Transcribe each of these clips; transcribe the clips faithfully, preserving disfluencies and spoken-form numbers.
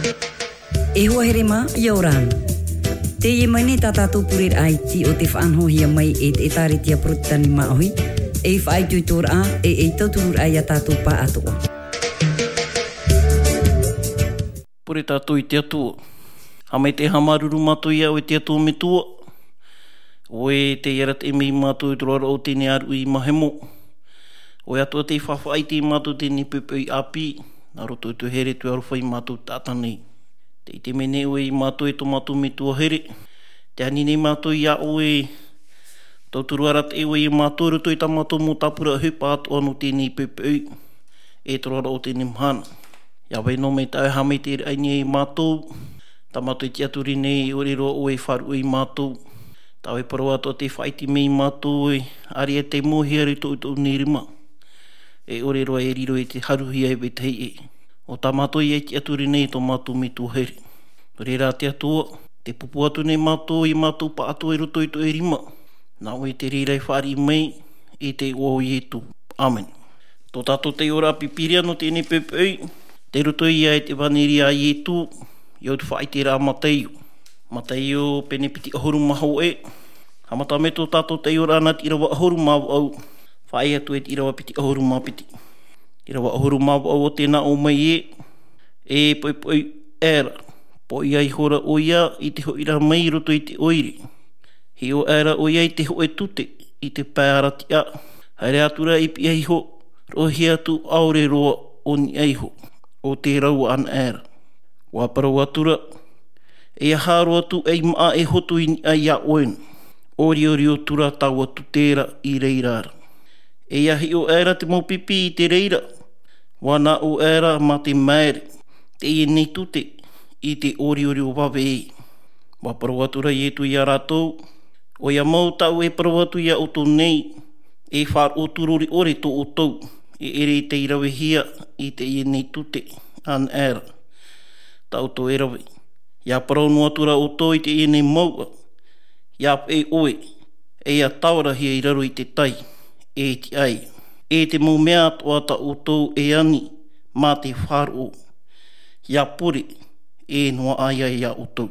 E hoa here mā, ʻia ora na. Teie mai nei tā tātou pureraʻa iti o te faʻanahohia mai e te ʻĒtārētia Porotetani Māʻohi, ei faʻaitoitoraʻa, e ei tautururaʻa ia tātou pāʻatoʻa. Pure tātou i te Atua. Haʻamaitaʻi haʻamāuruuru mātou iā ʻoe te Atua Metua. ʻOe tei arataʻi mai mātou i te roaraʻa o teie nei ʻāruʻi mahemo. ʻOe atoʻa tei faʻaʻite mātou i teie nei poʻipoʻi ʻāpī, nā roto i tō ʻoe here tei aroha ia mātou taʻata nei. Tē ʻite mai nei ʻoe ia mātou e tō mātou Metua here. Tē ani nei mātou iā ʻoe, tauturu arataʻi ʻoe ia mātou i roto i tā mātou mau tāpura ʻohipa atoʻa nō teie nei poʻipoʻi, e te roaraʻa o teie nei mahana. ʻIa vai noa mai tā ʻoe haʻamaitaʻiraʻa i niʻa ia mātou, tā mātou e tiʻaturi nei, e ʻore roa ʻoe e faʻaruʻe ia mātou. Tā ʻoe parau atoʻa tei faʻaʻite mai ia mātou, e ʻāreʻa tei mōhia i roto i tōʻu nei rima. E ʻore roa e riro i te haruhia e vetahi ʻē. ʻO tā mātou ia e tiʻaturi nei tō mātou Metua here. Nō reira te Atua, tē pūpū atu nei mātou ia mātou pāʻatoʻa i roto i tō ʻoe rima. Nā ʻoe te reira e fāriʻi mai, i te iʻoa o Ietu. ʻĀmene. Tō tātou taiʻoraʻa Pīpīria nō teie nei poʻipoʻi, tei roto ia i te ʻEvaneria a Ietu, i te faʻaʻiteraʻa a Mataio. Mataio pene piti ʻahuru mā hōʻē, haʻamata mai tō tātou taiʻoraʻa nā te ʻīrava ʻahuru mā vaʻu, faʻaʻī atu i te ʻīrava piti ʻahuru mā piti. ʻĪrava ʻahuru mā vaʻu, ʻo tē nā ʻō mai ē, e poʻipoʻi ʻaera, poʻia ihora ʻoia i te hoʻiraʻa mai i roto i te ʻoire. Hiʻo ʻaera ʻoia i te hōʻē tute, i te pae aratiʻa, haere atu ra i piʻi iho, roʻohia atu ʻaore roa ʻo niʻa iho, ʻo tē rau anaʻe ra. ʻUa parau atu ra, ʻeiaha roa atu ei māʻa e hotu i niʻa iā ʻoe na, ʻo riorio atu ra taua tute ra i reira ra. ʻEiaha hiʻo ʻaera te mau pipi i te reira, ʻua nā ʻō ʻaera mā te maere, teie nei tute, i te ʻōriorio vave ē. ʻUa parau atu ra Ietu iā rātou, ʻoia mau tāʻu e parau atu iā ʻoutou nei, e faʻaroʻo atu rori ʻore tō ʻoutou, e ʻere i tei ravehia i teie nei tute, anaʻe ra. Tā ʻoutou e rave. ʻIa parau noa atu ra ʻoutou i teie nei mouʻa, ʻia peʻe ʻoe, ʻeiaha tāorahia i raro i te tai, e te ʻai, e te mau mea atoʻa tā ʻoutou e ani, mā te faʻaroʻo. ʻIa pure, e noaʻa ia iā ʻoutou.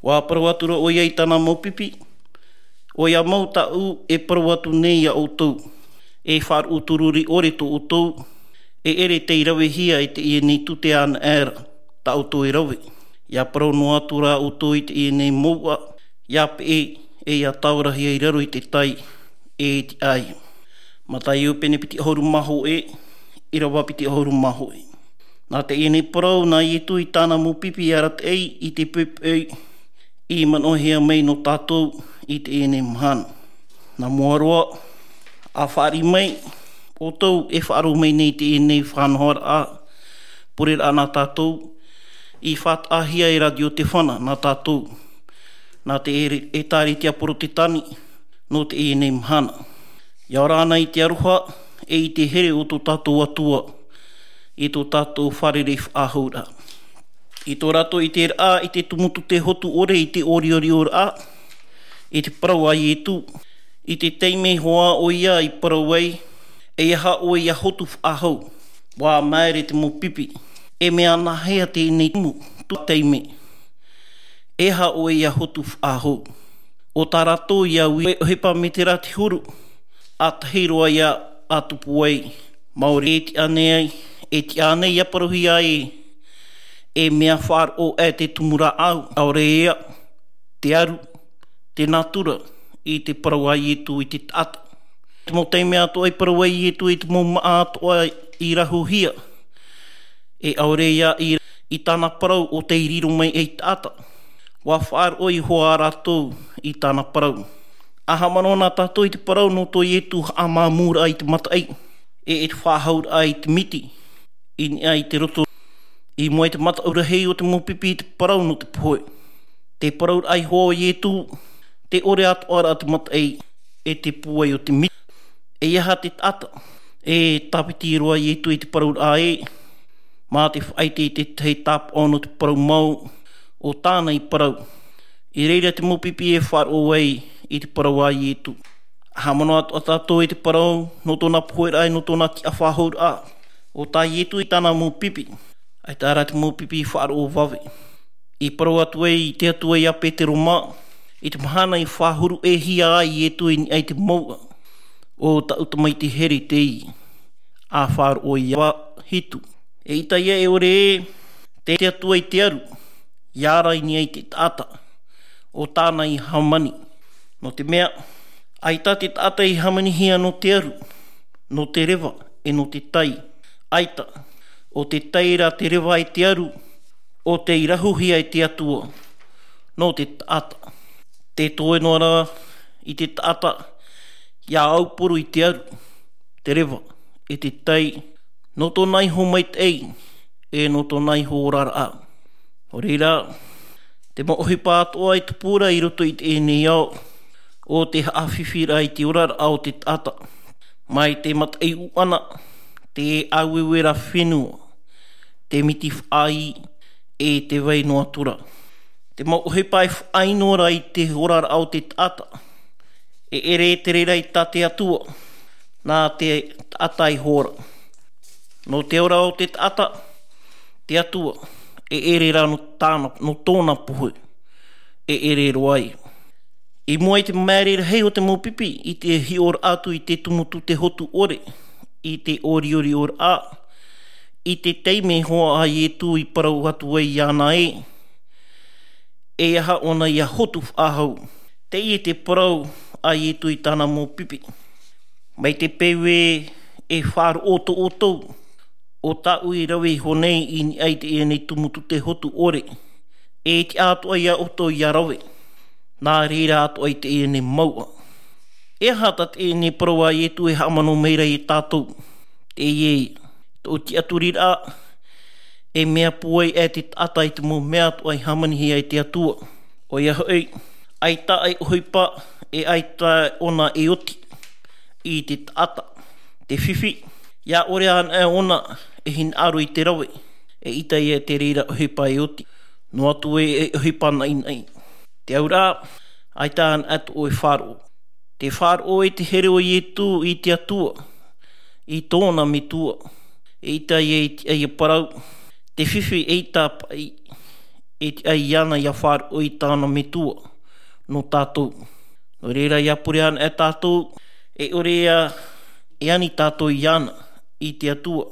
ʻUa parau atu ra ʻoia i tāna mau pipi, ʻoia mau tāʻu e parau atu nei iā ʻoutou, e faʻaruʻu tūruri ʻore tō ʻoutou, e ʻere tei ravehia e teie nei tute anaʻe ra, tā ʻoutou e rave. ʻIa parau noa atu rā ʻoutou i teie nei mouʻa, ʻia peʻe, e ʻia tāorahia i raro i te tai, e i te ʻāiʻa. Mataio pene piti ʻahuru mā hōʻē, ʻīrava piti ʻahuru mā hōʻē. Nā teie nei parau, nā Ietu i tāna mau pipi arataʻi i te poʻipoʻi i manaʻohia mai nō tātou i teie nei mahana. Nā mua roa, ʻa fāriʻi mai, ʻoutou e faʻaroʻo mai nei i teie nei faʻanahoraʻa, pureraʻa nā tātou, i faʻataʻahia e Rātio Tefana nā tātou, nā te ʻētāretia Porotetani, nō teie nei mahana. ʻIa ora na i te aroha, e i te here o tō tātou Atua, i tō tātou fārerei faʻahouraʻa. I tō rātou ʻiteraʻa i te tumu tute hotu ʻore i te ʻoriʻorioraʻa, i te parau a Ietu, i te taime hoʻi ʻoia i parau ai, e aha ʻoe ʻia hotu faʻahou, ʻua māere te mau pipi, e mea nāhea teie nei tumu, tū taime, e aha ʻoe ʻia hotu faʻahou. ʻO tā rātou ʻia ui, ʻohipa metera te huru, ʻa tahi roa ïa ʻa tupu ai, māori e tiʻa nei ai, e tiʻa nei ʻia parauhia ai, e mea faʻaroʻo aʻe te tumu rāʻau, ʻaore ïa, te aru, te nātura, i te parau a Ietu i te taʻata. Te mau taime atoʻa i parau ai Ietu i te mau māʻa atoʻa i rahuhia, e ʻaore ïa i, i tāna parau ʻo tei riro mai ei taʻata. ʻUa faʻaroʻo iho ā rātou i tāna parau. ʻA haʻamanaʻo na tātou i te parau nō tō Ietu haʻamāmūraʻa i te mataʻi, e, e te faʻahouraʻa i te miti, i niʻa i te roto, i mua i te mataʻu rahi o te mau pipi i te parau nō te pohe. Te parauraʻa iho o Ietu, te ʻore atoʻa ra te mataʻi, e te pūai o te miti. E aha te taʻata, e tāpiti roa Ietu i te parauraʻa ē, mā te faʻaʻite i te tahi tāpaʻo nō te parau mau, ʻo tāna i parau. I reira te mau pipi e faʻaroʻo ai i te parau a Ietu. ʻA haʻamanaʻo atoʻa tātou i te parau, nō tōna poheraʻa, nō tōna tiʻa faʻahouraʻa. ʻO tā Ietu i tāna mau pipi. ʻAita rā te mau pipi i faʻaroʻo vave. I parau atu ai te Atua iā Petero mā, i te mahana i faʻahuru-ʻē-hia ai Ietu i niʻa i te mouʻa, ʻo taʻu tamaiti here teie, ʻa faʻaroʻo iā Ioa hitu. Eʻita ïa e ʻore ē, te, te Atua i te aru, ʻia ara i niʻa i te taʻata, ʻo tāna i hāmani. Nō te mea, ʻaita te taʻata i hāmanihia nō te aru, nō te reva, e nō te tai. ʻAita, ʻo te tai ra te reva e te aru, ʻo tei rahuhia e te Atua, nō te taʻata. Tē toe noa ra i te taʻata, ʻia aupuru i te aru, te reva, e te tai, nō tōna iho maitaʻi, e nō tōna iho oraraʻa. Nō reira, Te mau ʻohipa atoʻa e tupu ra i roto i teie nei ao, ʻo te haʻafifi ra i te oraraʻa o te taʻata. Mai te mataʻi ʻuʻana, te ʻāueue ra fenua, te miti faʻaʻī, e te vai noa atu ra. Te mau ʻohipa e faʻaʻino ra i te oraraʻa o te taʻata, e ʻere te reira i tā te Atua, nā te taʻata iho ra. Nō te ora o te taʻata, te Atua, e ʻere ra nō tāna, nō tōna pohe, e ʻere roa ia. I mua i te maere rahi o te mau pipi, i te hiʻoraʻa atu i te tumu tute hotu ʻore, i te ʻoriʻori ʻoraʻa, i te taime hoʻi a Ietu i parau atu ai iāna ē, e aha ʻōna ia hotu faʻahou. Teie te parau a Ietu i tāna mau pipi. Mai te peu ē e faʻaroʻo atoʻa ʻoutou, ʻo tāʻu i rave iho nei i niʻa i teie nei tumu tute hotu ʻore, e tiʻa atoʻa ia ʻoutou ia rave, nā reira atoʻa i teie nei mouʻa. E aha tā teie nei parau a Ietu e haʻamanaʻo mai ra ia tātou? Teie, tō tiʻaturiraʻa, e mea pūai e te taʻata i te mau mea atoʻa i hāmanihia e te Atua. ʻOia hoʻi, ʻaita e ʻohipa, e ʻaita ʻōna e oti i te taʻata. Te fifi, ia ʻore anaʻe ʻōna e hinaʻaro i te rave, eʻita ia te reira ʻohipa e oti. Noa atu ē e ʻohipa naʻinaʻi. Te auraʻa, ʻaita anaʻe tō ʻoe faʻaroʻo. Te faʻaroʻo e te here o Ietu i te Atua, i tōna metua. Eʻita ia i te, ia parau, te fifi eʻita paʻi, e tiʻa iāna ia faʻaroʻo i tāna metua, nō tātou. Nō reira ia pure anaʻe tātou, e ʻore ia, e ani tātou iāna, i te Atua,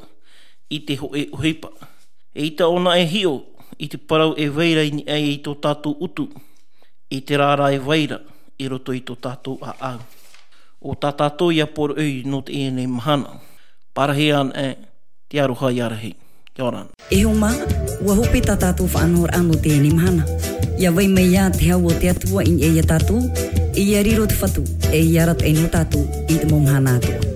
i te hōʻē ʻohipa. Eʻita ʻōna e hiʻo, i te parau e vai ra i niʻa i tō tātou ʻutu, i te reira e vai ra, i roto i tō tātou ʻāʻau. ʻO tā tātou ia poroʻi nō teie nei mahana. Parahi anaʻe, te aroha ia rahi. Kia ora. E hoa mā, ua hope tā tātou faʻanahoraʻa nō teie nei mahana. Ia vai mai ā te hau o te Atua i niʻa ia tātou, e ia riro te Fatu, e ia arataʻi nō tātou i te mau mahana atoʻa.